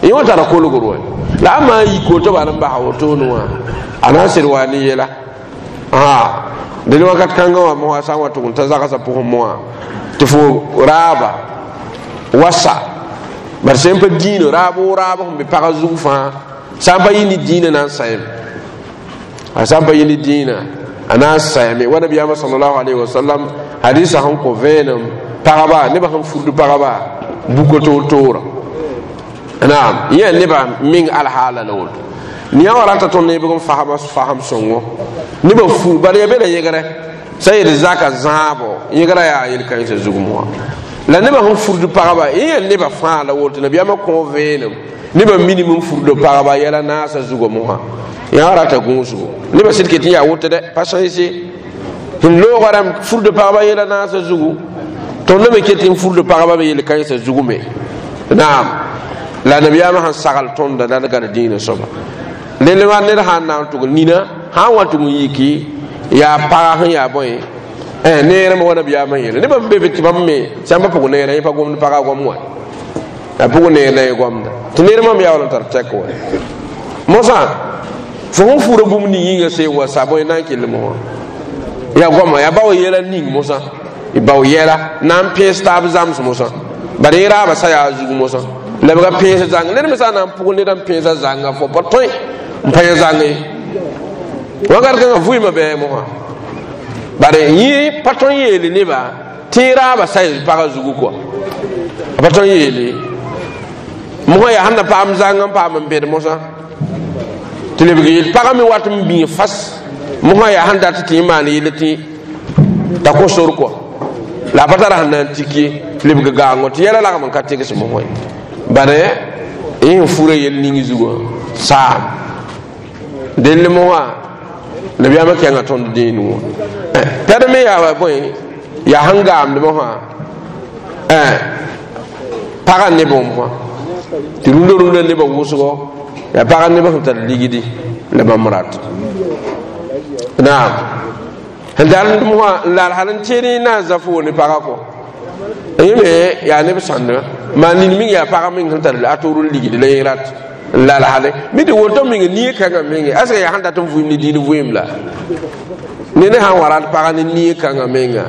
yẽ wã tara kolgr wa la a maan yiko tɩ bal n basa wotone wã a na n sed wa ne yɛla dẽn wakat kãngã wã mosã sã n wa tʋg n ta zagsã pʋgẽ moã tɩ fo raaba wasa bari sẽn pa dĩinã raab o raab sẽn be pagã zug fãa sã n pa yɩ ne dĩinã na n saeme a sã n pa yɩ ne dĩinã a na n saeme wa nabiyaamã salallahu alayhi wasallam hadisa sẽn kõ vẽenem pagba nebã sẽn furd pagba buka toor-toora naam yẽ nebã meng alhaala la woto yã wa rata tõnd nebg n fasma fasem sõngo nebã fur bala ya be la yẽgrɛ sã yel zaka zãabo yẽgrã yaa yel-kãensã zug moa la nebã sẽn furd pagba yẽ yaa nebã fãa la woto nabiyaamã kõ vẽenem nebã minim n furd pagba yɛla naasã zugã mosã yã wa rata gũusgo nebã sɩd ket n yaa woto dɛ pa sãnse sẽn loogã rãmb furd pagba yɛla naasã zugu tõnd me ket n furd pagba me yel-kãensã zugu me naam la nabiyaamã sẽn sagl tõnda la d gad dĩinã soaba dẽnd wa ned sã n na n tʋg nina sã n wa tʋg n yiki yaa paga sẽn yaa bõe neerã me wa nabiyaamã yeele nebã n be be tɩ bãmb me sãn pa pʋg neerã yẽ pa gomd paga gom wa a pʋg neer la yẽ gomda tɩ ned mam yaool n tar tɛk wa mosã fo sẽn fura bũmb ning yĩnga seen wa sa bõe na n kell mosã yaa goama yaa bao yɛla ning mosã y bao yɛla na n pẽes taab zams mosã bala yẽ raaba sa yaa zug mosã la b ga pẽes zãng ned me sã n na n pʋg ned n pẽesa zãnga fo pa tõe n pa yẽ zãng ye wakat kãngã vʋɩɩmã bɩ mosã bare yẽ pa tõe n yeele neba tɩ yẽ raaba sa y pagã zugu kɔa a pa tõe n yeele mosã yaa sẽn na paam zãng n paam n bed mosã tɩ lebg yel pagã me wat n bĩig fas mosã yaa sẽn dat tɩ yẽ maan yell tɩ t'a kõ sor kɔa la a pa tara sẽn na n tik ye lebg gaango tɩ yɛla lagm n ka tegs mosã ye bare yẽ sẽn fura yel ning zugã saam dell mosã nabiyaamã kẽnga tõnd dĩin wã tad me yaa wa bõe yaa sẽn gaamd mosã pagã nebã mosã tɩ rũndã rũndã nebã wʋsgo yaa pagã nebã sẽn tar ligdi la bãmb rat naam sẽn tar mosã n lal hal n teed na n zã fo ne pagã kɔ yẽ me yaa neb sãndã maa nin ming yaa pagã meng sẽn tar a toor n ligdi la yẽ rat n lal hale mi tɩ woto meng nie kãngã menge aska yaa sẽn dat n vʋɩm ne dĩin vʋɩm la ned sãn wa rat pagã ne nie kãngã menga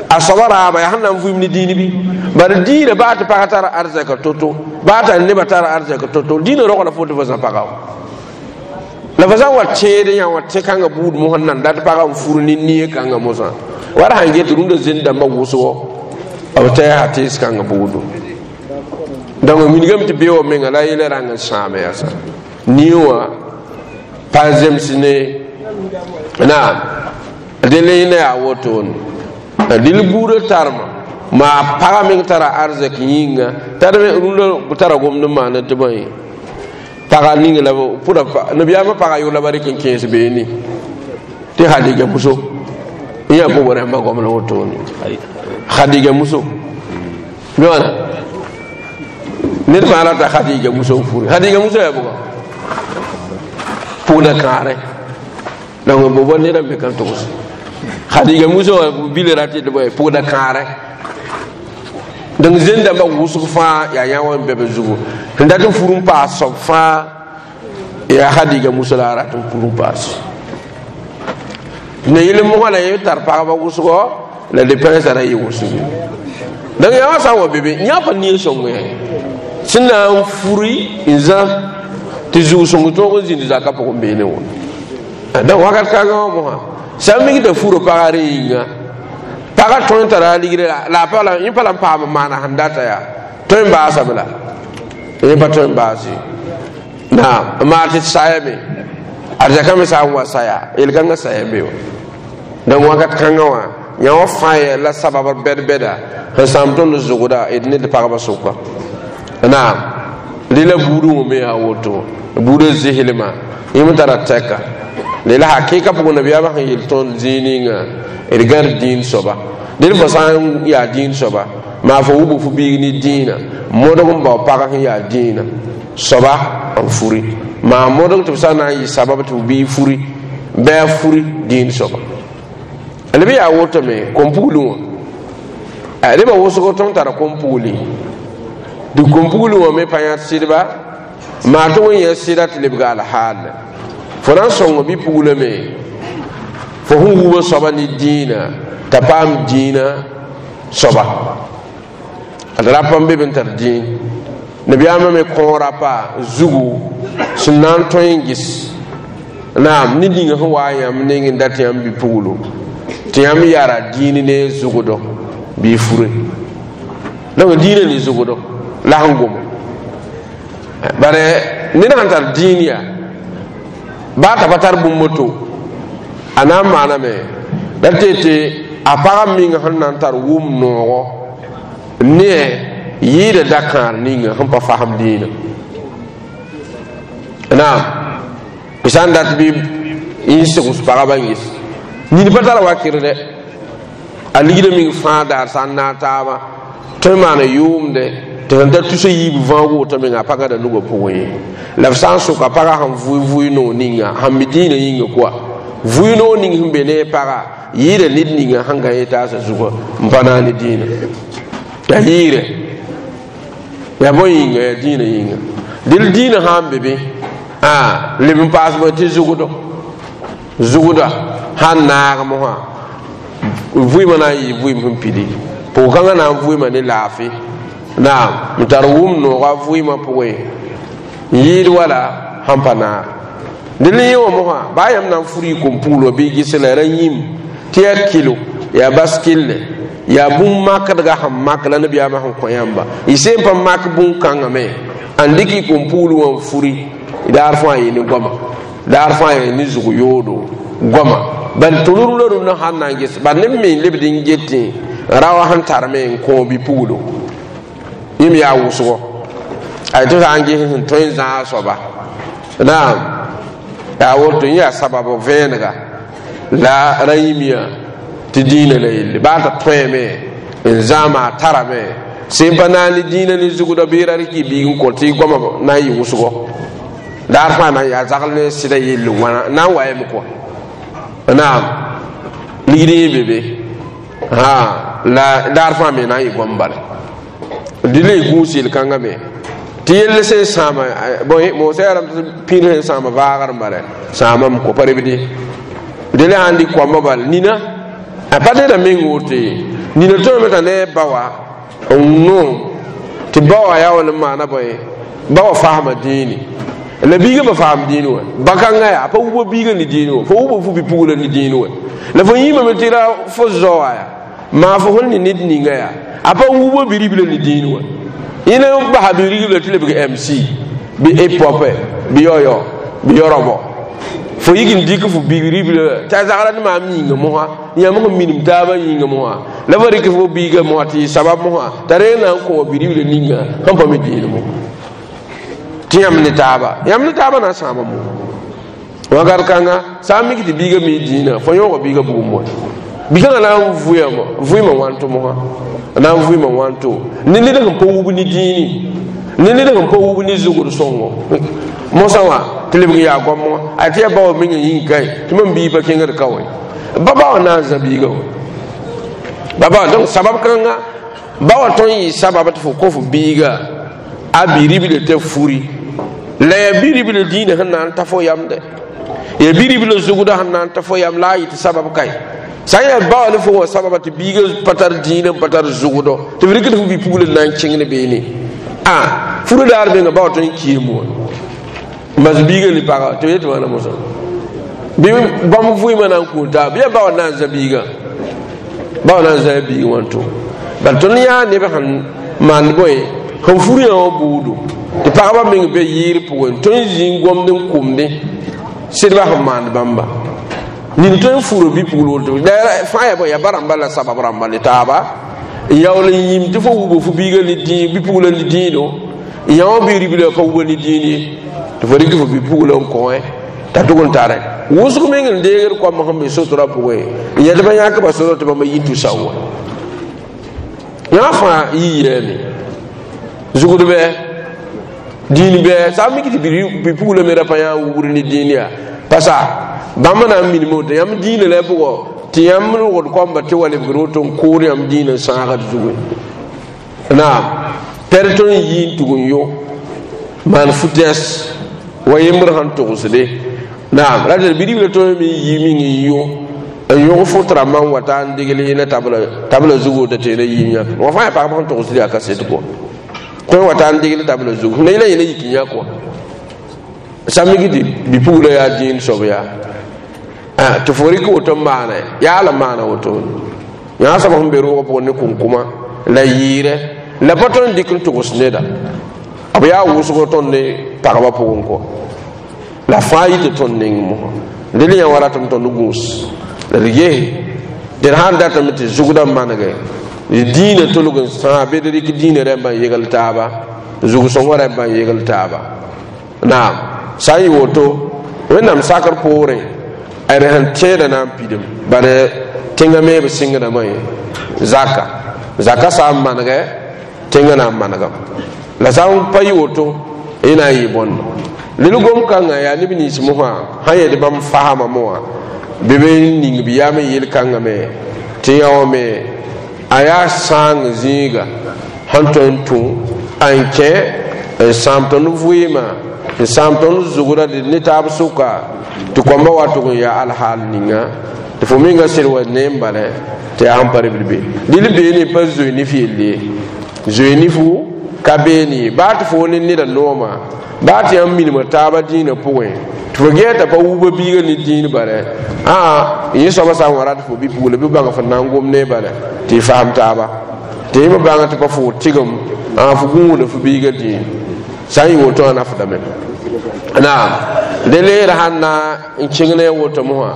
a soaba raaba yaa sẽn na n vʋɩm ne dĩin bɩ bala dĩinã baa tɩ pagã tara arzɛk to-to baa t'a nebã tara arzɛk to-to dĩinã rogla fo tɩ fo zã pagã wa la fo sã n wa tẽed yã wã tẽ kãngã buud mosã n nan dat pagã n fur ne nie kãngã mosã wala sãn get rũndã zend dãmbã wʋsgo b tɛɛsa tees kãngã buudu donc wilgame tɩ be wa menga la yɛla rãng n sãame yaa sã nie wã pa zems ne naam dẽnd yẽnda yaa wotone dɩl buudã tarma maa pagã meng tara arzɛk yĩnga tar rũndã tara gomd n maana tɩ bõe paga ning la pʋda nabiyaamã pagã yʋ la ba rɩk n kẽes beene tɩ Khadija muso yã pʋgẽ rãmbã gom la wotone Khadija muso bɩ wãna ned fãa rata Khadija muso n furi Khadija muso yaa bʋga pʋgda kãare donc bo bo ned n be kan togs Khadija muso wã bil rat tɩ bõe pʋgda kãare donc zẽn dãmbã wʋsg fãa yaa yã wã n be b zugu sẽn dat n fur n paas soab fãa yaa Khadija muso la a rat n fur n paas ne yel mosã la yẽ tar pagba wʋsgɔ la depẽnsã ra yɩ wʋsg donc yã wã sã n wa be be yã pa nie sõng ye sẽn na n furi n zã tɩ zug-sõng tõog n zĩnd zakã pʋgẽ beene wã donc wakat kãngã wã mosã sã n mik t'a fura pagã rẽ yĩnga pagã tõe n tara a ligre la a pa yẽ pa la n paam n maana sẽn data yaa tõe n baasame la yẽ pa tõe n baas ye naam n maa tɩ sayame arzɛkã me sã n wa saya yel-kãngã saya be wa Donc wakat kãngã wã yã wã fãa ya la sabab bɛd-bɛda sẽn sãam tõnd zʋgda d ne d pagba sʋka. Naam, rɩla buudẽ wã me yaa woto, buudã zɩslmã yẽm tara tɛka la hakɩɩka pʋgẽ nabiyaamã sẽn yel tõnd zĩig ninga d gãd dĩin soaba. Dẽd fo sã n yaa dĩin soaba, maa fo wʋb fo biig ne dĩinã, modg n bao pag sẽn yaa dĩinã soaba n furi, maa modg tɩ b sã n na n yɩ sabab tɩ b biig furi bɩ a furi dĩin soaba. Lb yaa woto me kom-pugli wã nebã wʋsg tõnd tara kom-pugli, tɩ kom-pugli wã me pa yãd sɩdba, maa tɩ wẽn yã sɩda tɩ lebga alhaal. Fo na n sõng bi-puglame fo sẽn wubã soaba ne dĩinã t'a paam dĩinã soaba. D rapa n be b n tar dĩin nabiyaamã me kõ rapa zugu sẽn na n tõe n ges naam ned ninga sẽn wa yãmb neng n dat yãmb bi-puglo tɩ yãmb yara dĩin ne zugdo bɩ fure. Donc dĩinã ne zugdo la sẽn goma, bare ned sãn tar dĩin yaa baa t'a pa tar bũmb to a na n maaname la tɩ tɩ a pagã menga sẽn na n tar wʋm noogo ne yɩɩda da-kãar ninga sẽn pa fasem dĩinã. Naam, b sã n dat bɩ n segs pagba n ges nini pa tara wakr dɛ, a ligda meng fãa daar sã n naag taaba tõe n maana yʋʋmde tɩ sẽn tar tusa yiib vãoog woto menga a pa gãda nugã pʋgẽ ye. La b sã n soka pagã sẽn vʋɩ vʋɩ noog ninga sẽn mi dĩinã yĩnga koa vʋɩ noog ning sẽn be ne paga yɩɩda ned ninga sẽn gã yetaasã zugã n pa naag ne dĩinã yaa yɩɩrɛ yaa bõe yĩnga yaa dĩinã yĩnga. Dɩl dĩinã sã n be be leb n paas bõe tɩ zugdo zugda sãn naag mosã vʋɩmã na n yɩ vʋɩm sẽn pidi pʋg-kãngã na n vʋɩma ne laafɩ. Naam, n tar wʋm noogã vʋɩmã pʋgẽ n yɩɩd wala sãn pa naag. Dẽnd yẽ wã mosã baa yãmb na n furi kom-pugl bɩ ges la ra yĩm tɩ yaa kilo yaa bas kille yaa bũmb makdga sẽn mak la nabiyaamã sẽn kõ yãmba y seen pa mak bũn-kãngã me n dɩk y kom-pugl wã n furi daar fãa yɩ ne goama, daar fãa yɩ ne zug yoodo goama bal tõnd rũndã rũndã sãn na n ges bal neb me n lebd n getẽ ra wa sẽn tar me n kõ bi-puglo yẽm yaa wʋsgo ay tɩ sã n ges sẽn tõe n zãag soaba. Naam, yaa woto yẽ yaa sabab vẽenega la ra yĩmyã tɩ dĩinã la yelle baa t'a tõeme n zãama a tarame sẽn pa naag ne dĩinã ne zugdã bɩ ra rɩk y biig n kõ tɩ goamã na n yɩ wʋsgo daar fãa na n yaa zagl ne sɩda yelle wãna na n wa yame kɔa. Naam, ligd yẽ be be la daar fãa me na n yɩ goam bala dɩ la y gũus yel-kãngã me tɩ yell sẽn sãama bõe moosã yaa rãmb tɩ pĩnd sẽn sãama vaagr n bala sãamame kɔ pa rebde dẽ la sãn dɩk koambã bal nina a pa neda meng woto ye nina tõeme t'a ne a ba wã n noom tɩ ba wã yaa wall n maana bõe ba wã fasma dĩini la biigã pa faam dĩin wã ba-kãngã yaa pa wʋba biigã ne dĩin wã fo wʋba fo bi-pugla ne dĩin wã la fo yĩmame tɩ ra fo zao wã yaa maa fo sẽn ne ned ninga yaa a pa wʋba bi-ribla ne dĩin wã yẽne n basa bi-ribla tɩ lebg MC bɩ hip hop bɩ yaoyao bɩ yaorobɔ fo yik n dɩk fo bi-ribla t'a zagra ne maam yĩnga mosã yãmb sẽn minim taabã yĩnga mosã la fo rɩk fo biigã mosã tɩ yɩ sabab mosã t'a reeg na n kõ bi-ribla ninga sẽn pa me dĩin mo tɩ yãmb ne taaba yãmb ne taaba na n sãama mo wakat kãnga sã n mik tɩ biigã mi dĩinã fo yõoga biigã bugum wã bi-kãngã na n vʋɩama vʋɩmã wãnto mosã na n vʋɩmã wãnto ne ned sẽn pa wub ne dĩini ne ned sẽn pa wub ne zugd sõngo mosã wã tɩ lebg n yaa goam wã a tɩ yaa ba wã mengã yĩng kae tɩ mam biig pa kẽngd ka wã ba ba wã na n zã biigã wã ba ba donc sabab kãnga ba wã tõe n yɩ sabab tɩ fo kõ fo biiga a bi-ribla t'a furi la yaa bi-ribla dĩinã sẽn na n ta fo yamdɛ yaa bi-ribla zugdã sẽn na n ta fo yam la a yɩ tɩ sabab kae sã n yaa ba wã ne fo wã sababa tɩ biigã pa tar dĩinã n pa tar zugdɔ tɩ f rɩkd fo bi-pugl n na n kẽng ne beene a furã daar menga ba wa tõe n kiim wã n bas biigã ne paga tɩ b yetɩ wãna mosã bɩ bãmb vʋɩmã na n kũun taaba bɩ yaa ba wã na n zã biigã ba wã na n zã biigã wãnto bal tõnd yaa neb sẽn maand bõe sẽn fur yã wã buudo tɩ pagba meng be yɩɩr pʋgẽ tõe n zĩ n gomd n kʋmdẽ sɩdba sẽn maand bãmba Nin tõe n fura bi-pugl woto la fãa yaa bõe yaa ba rãmba la sabab rãmba ne taaba n yaool n yĩm tɩ fo wuba fo biiga ne dĩin bi-pugla ne dĩino n yã wã bi-ribla pa wuba ne dĩin ye tɩ fo rɩk fo bi-pugla n kõ t'a tʋg n tare wʋsg meng n deegd koam sẽn be sotrã pʋgẽ n yɛl tɩ ba yãk ba sodr tɩ bãmba yĩn tʋ sao wa yã fãa yi yeeme zugd bɛ dĩin bɛ sã n mik tɩ bi-pugla me ra pa yã n wubr ne dĩin yaa pasa bãmb na n minime woto yãmb dĩinã la pʋgɔ tɩ yãmb rogd koamba tɩ wa lebgr woto n kood yãmb dĩinã sãagd zugẽ naam tɛr tõnd n yi n tug n yõ maan fu-tɛs wa yembr sẽn togsde naam ra tɩ bi-ribla tõe me n yi ming n yõ n yõg fot rãmbã n wa ta n degl yẽna tabla zug woto tɩ yẽna yiim yãk wã fãa yaa pagb sẽn togsd yaa kaset kɔ tõe wa ta n degl tabla zug sẽn na yẽla yẽna yik n yãk wã sã mik tɩ bi-pugla yaa dĩin soab yaa tɩ fo rɩk woto n maana yaa la maana woto yã soab sẽn be roogã pʋgẽ ne kʋnkʋma la yɩɩrɛ la pa tõe n dɩk n togs neda b yaa wʋsg tõnd ne pagba pʋgẽ kɔ la fãa yɩ tɩ tõnd neng mosã dẽl yã wa ratame tõnd gũus la d gese tɩ d sãn datame tɩ zugdã manege dĩinã tolg n sãa bɩ d rɩk dĩinã rẽmbã n yegl taaba zug-sõngã rẽmbã n yegl taaba naam sã n yɩ woto wẽnnaam sakr poorẽ d sẽn tẽedã na n pidem bad tẽngã me b sɩngdame zaka zaka sã n manegɛ tẽngã na n manegame la sã n pa yɩ woto y na n yɩ bõndo lel gom-kãngã yaa neb nins mosã sã yẽd bãmb fasma moã bɩ b ning b yaam n yel-kãngã me tɩ yã wã me a yaa sãang zĩiga sẽn tõe n tũ n kẽ n sãam tõnd vɩɩmã n sãam tõnd zugda ne taab sʋka tɩ koamba wa tʋg n yaa alhaal ninga tɩ fo menga sed wa ne n bala tɩ yaa sẽn pa ribl be dɩl beene pa zoe nif yelle ye zoe nifu ka beene ye baa tɩ fo ne neda nooma baa tɩ yãmb minima taaba dĩinã pʋgẽ tɩ fo gɛɛ t'a pa wuba biiga ne dĩin bala ãa yẽ soaba sã n wa rat fo bi-pugla bɩ bãng fo na n gom ne bala tɩ y fasem taaba tɩ yẽ me bãng tɩ pa fo tɩgem ãa fo gũuda fo biiga dĩin sã n yɩ woto wã nafdame naam dẽ leera sãn na n kẽng ne a woto mosã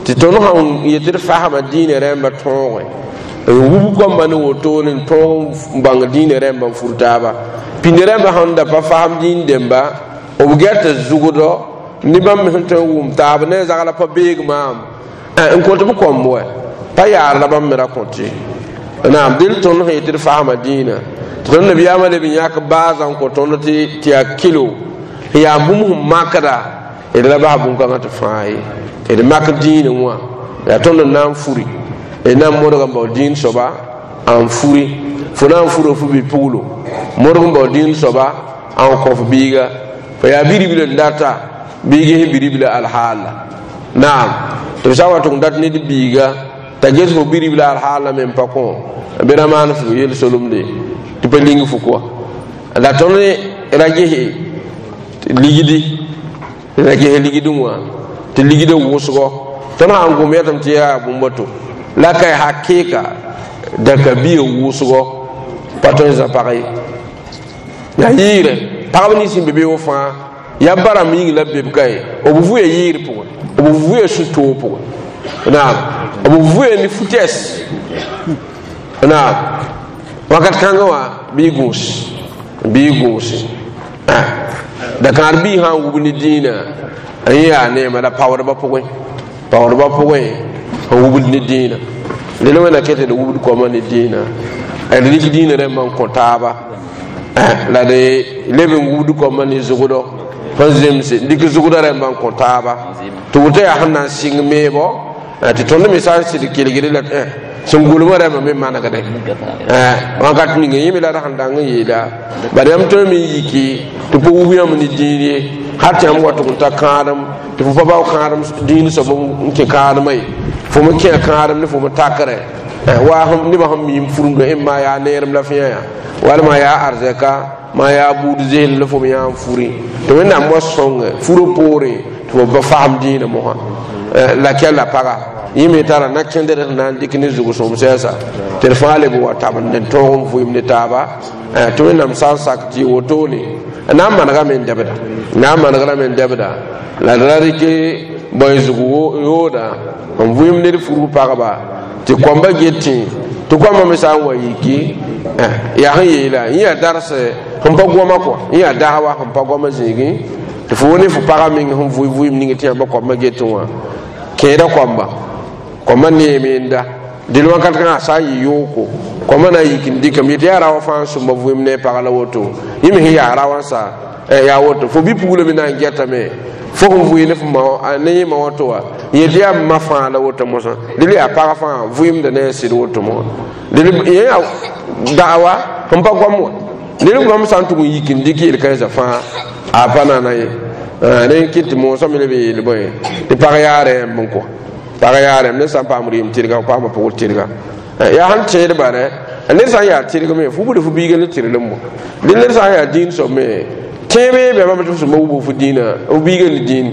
tɩ tõnd sãn yetɩ d fasma dĩinã rẽmba tõogẽ n wub koamba ne wotone n tõog n bãng dĩinã rẽmba n fur taaba pĩnd rẽmba sẽn da pa fasem dĩin demba b gɛta zugdɔ ne bãmb me sẽn tõe n wʋm taab ne zagla pa beeg maam n kõt b kõmb wɛ pa yaar la bãmb me ra kõt ye naam dẽl tõnd sẽn yetɩ d fasma dĩinã tɩ tõnd nabiyaamã leb n yãk baasã n kõ tõnd tɩ yaa kilo n yaa bũmb sẽn makda d ra bas bũn-kãngã tɩ fãa ye d mak dĩinã wã yaa tõnd n na n furi d na n modg n bao dĩin soaba n furi fo na n fura fo bi-puglo modg n bao dĩin soaba n kõ f biiga fa yaa bi-ribl n data bɩ ges bi-ribla alhaala naam tɩ b sã n wa tʋg n dat ned biiga t'a ges fo bi-ribla alhaala me n pa kõ bɩ ra maan fo yel-solemde tɩ pa ling fo kɔa la tõnd ra gese ligdi ra ges ligdẽ wã tɩ ligdã wʋsgɔ tõnd sã n gom yɛtame tɩ yaa bũmb to la ka hakɩɩka dãka biya wʋsgɔ pa tõe n zã pag ye yaa yɩɩrɛ pagb nins sẽn be be wã fãa yaa ba rãmb yĩng la b be b ka ye b vʋya yɩɩr pʋgẽ b vʋya sũ-toog pʋgẽ naam b vʋya ne fu-tɛs naam wakat kãngã wã bɩ y gũus bɩ y gũuse dakãar bii sã n wub ne dĩinã n yaa neema la paoodbã pʋgẽ paoodbã pʋgẽ n wubd ne dĩinã dẽl wẽna ket d wubd koamã ne dĩinã d rɩk dĩinã rẽmbã n kõ taaba la d leb n wubd koamã ne zugdɔ n zemse n dɩk zugdã rẽmbã n kõ taaba tɩ woto yaa sẽn na n sɩng meebo tɩ tõnd me sã n sɩd kelgre la sẽn gʋlmã rẽmbã me manegde wãnkat ninga yẽ me la d sẽn dang n yeela bad yãmb tõe me n yiki tɩ pa wub yãmb ne dĩin ye hal tɩ yãmb wa tʋg n ta kãadem tɩ fo pa bao kãadem dĩin soab n kẽ kãademã ye fo me kẽ kãadem ne fo me takrɛ wa nebã sẽn miim furumdo maa yaa neerem la fẽa yaa walma yaa arzɛka maa yaa buud zeel la fo me yaa n furi tɩ wẽnnaam wa sõnge furo poore tɩ fo ba fasem dĩinã mosã la kɛla paga yẽ me tara na kẽndr sẽn na n dɩk ne zug-sõm sɛɛsa tɩ d fãa leb n wa tabend n tõog n vʋɩem ne taaba tɩ wẽnnaam sã n sak tɩ wotone na n manegame n dɛbda na n manegrame n dɛbda la d ra rɩk bõe zug yooda n vʋɩm ned furg pagba tɩ kõmba getẽ tɩ kõmba me sã n wa yiki yaa sẽn yeela yẽ yaa dars sẽn pa goma kɔa yẽ yaa dawa sẽn pa goma zĩigẽ tɩ fo ne fo pagã meng sẽn vʋɩ vʋɩm ning tɩ yãmba kõmba getẽ wã kẽeda kõmba kõmba neeme n da dẽl wakat kãngã sã n yɩ yooko kõmba na n yik n dɩkame yetɩ yaa raoã fãa n sõmba vʋɩm ne pagã la woto yẽ me sẽn yaa raoã sa yaa woto fo bi-pugla me na n gɛtame fo sẽn vʋɩ ne fo ma ne yẽ ma woto wa yetɩ yaa ma fãa la woto mosã dẽl yaa pagã fãa vʋɩmda ne a sɩd woto mosã dẽl yẽ yaa dawa sẽn pa goam wã ned goam sã n tʋg n yik n dɩk yel-kãensã fãa a pa nana ye rẽ kɩt tɩ moosã me leb n yeel bõe tɩ pag yaa rɛɛmb n kɔ pag yaa rɛɛm ned sã n paam rɩɩm tɩrga paama pʋgr tɩrga yaa sẽn tẽedba rɛ ned sã n yaa tɩrg me fo buda fo biiga ne tɩrlem bõ dẽ ned sã n yaa dĩin soab me tẽebe bɛmame tɩ f sõma wubg fo dĩinã f biiga ne dĩin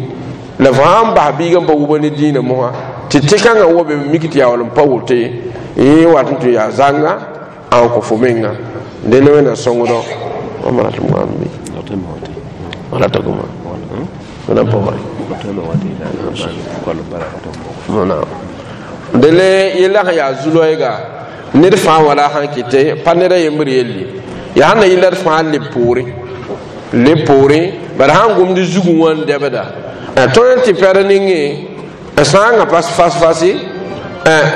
la fo sãn bas biiga n pa wubã ne dĩinã mosã tɩ tɩ-kãngã wa be mik tɩ yaa wall n pa woto ye yẽ wat n tɩ yaa zãnga n kõ fo menga dẽnd wẽnna sõngdɔ wala ta goma wala pa dele yella sẽn yaa zu-loɛɛga ned fãa wala sãn kɩte pa ned a yembr yelle yaa sẽn na yɩla d fãa leb poore leb poore bara sãn gomd zugẽ wã n dɛbda tõe n tɩ pɛr ningẽ n sãangã pas fas-fasi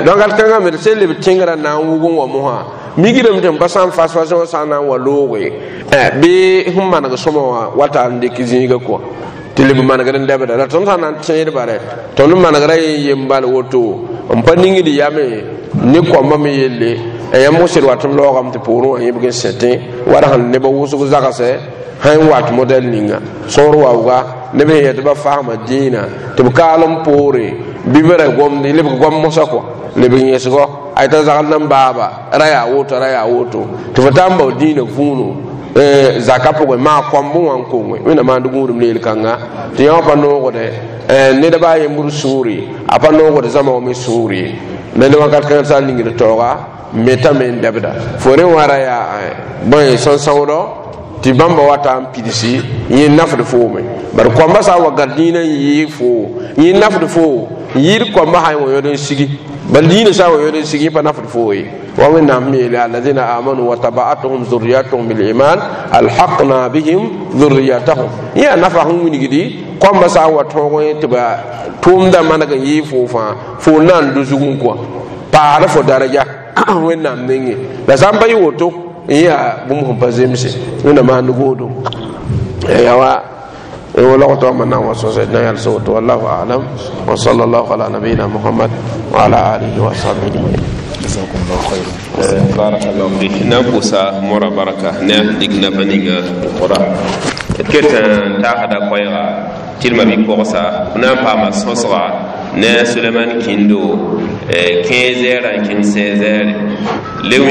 donc ad kãngã me d sẽn leb tẽngrã na n wʋg n wa mosã migdame tɩ n pa sã n fas-fas wã sã n na n wa looge bɩ sẽn maneg sõma wã wata n dɩk zĩiga kɔa tɩ leb manegr n dɛbda la tõnd sã n na n tẽedba rɛ tõnd manegra yen yem bal woto n pa ningd yame ne kõmba me yelle yãmb sed wat n laoogame tɩ poorẽ wã yẽbg n sẽtẽ wala sẽn nebã wʋsg zagsɛ sẽn wat modɛl ninga sõor waooga neb sẽn yɛ tɩ ba fasma dĩinã tɩ b kaal n poore bɩ b ra gomd lebg gom mosã kɔa lebg yẽsgɔ a t'a zagl nan baaba ra yaa woto ra yaa woto tɩ fo taa n bao dĩinã vũunu zaka pʋgẽ maa kõmb wã n konge wẽnna maand gũudum ne yel-kãnga tɩ yã wã pa noogdɛ ned baa yembr sũuri a pa noogd zãma wã me sũur ye ned wakat kãngã sã n ningd taooga metame n dɛbda fo rẽ wã ra yaa bõe sẽn-sãoodɔ tɩ bãmba wata n pidsi yẽ nafd foome bari kõmba sã n wa gãd dĩinã n yɩɩ foo yẽ nafd foo n yɩɩd kõmba sã n wa yõd n sigi bal dĩinã sã n wa yõd n sigi yẽ pa nafd foo ye wa wẽnnaam yeele alladina amanu wa tabaatuhum zurriyatuhum biliman alhaqna bihim zurriyatahum yẽ yaa nafa sẽn wilgdi kõmba sã n wa tõog tɩ ba tʋʋmda maneg n yɩɩ foo fãa fo na n do zugẽ kɔa paasd fo daraja wẽnnaam nengẽ la sã n pa yɩ woto n yaa bũmb sẽn pa zemse wẽnna maand goodo yaa wa ولغت من وسوسنا يلسوت والله اعلم وصلى الله على نبينا محمد وعلى اله وصحبه اجمعين. جزاكم الله خيرا. بارك الله فيك na pʋʋsa mora barka ne a dɩk nafa ninga kora d ket n tagsda koɛɛga tɩrmã bɩ-pɔgsa b na n paama sõsga ne a Suleman kĩndo 15 heures n kẽng 16 heures.